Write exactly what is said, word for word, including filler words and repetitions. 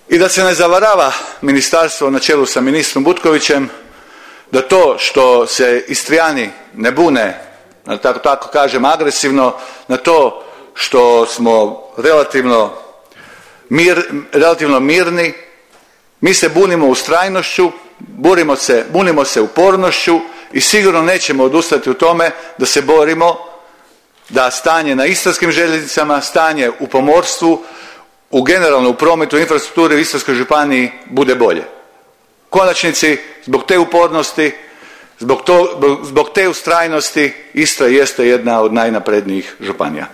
I da se ne zavarava ministarstvo na čelu sa ministrom Butkovićem, da to što se Istrijani ne bune, da tako, tako kažem agresivno, na to što smo relativno, mir, relativno mirni, mi se bunimo ustrajnošću, burimo se, bunimo se upornošću i sigurno nećemo odustati u tome da se borimo da stanje na istarskim željeznicama, stanje u pomorstvu, u generalno u prometu, u infrastrukturi u Istarskoj županiji bude bolje. U konačnici, zbog te upornosti, zbog, to, zbog te ustrajnosti, Istra jeste jedna od najnaprednijih županija.